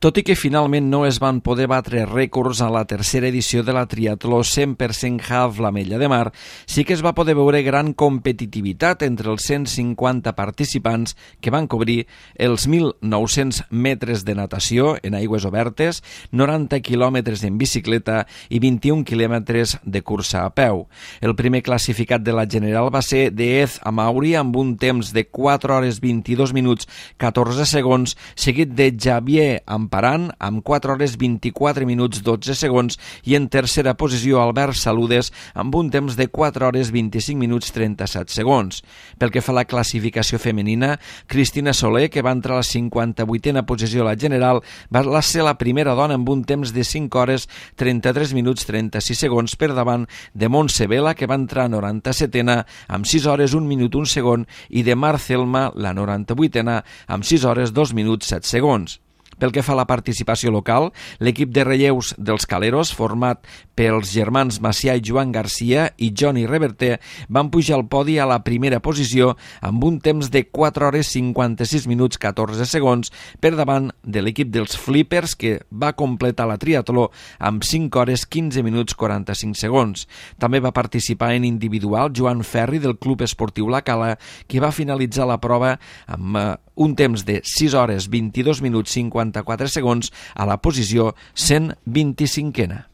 Tot i que finalment no es van poder batre rècords a la tercera edició de la triatló 100% half l'Ametlla de Mar, sí que es va poder veure gran competitivitat entre els 150 participants que van cobrir els 1.900 metres de natació en aigües obertes, 90 quilòmetres en bicicleta i 21 quilòmetres de cursa a peu. El primer classificat de la general va ser Deez Amauri amb un temps de 4 hores 22 minuts 14 segons, seguit de Javier Amparan amb 4 hores 24 minuts 12 segons i en tercera posició Albert Saludes amb un temps de 4 hores 25 minuts 37 segons. Pel que fa a la classificació femenina, Cristina Soler, que va entrar a la 58a posició a la general, va ser la primera dona amb un temps de 5 hores 33 minuts 36 segons per davant de Montse Vela, que va entrar a 97a amb 6 hores 1 minut 1 segon, i de Marcelma, la 98a, amb 6 hores 2 minuts 7 segons. Pel que fa a la participació local, l'equip de relleus dels Caleros, format pels germans Macià i Joan Garcia i Johnny Reverter, van pujar al podi a la primera posició amb un temps de 4 hores 56 minuts 14 segons per davant de l'equip dels Flippers, que va completar la triatló amb 5 hores 15 minuts 45 segons. També va participar en individual Joan Ferri del Club Esportiu La Cala, que va finalitzar la prova amb un temps de 6 hores 22 minuts 54 segons a la posició 125a.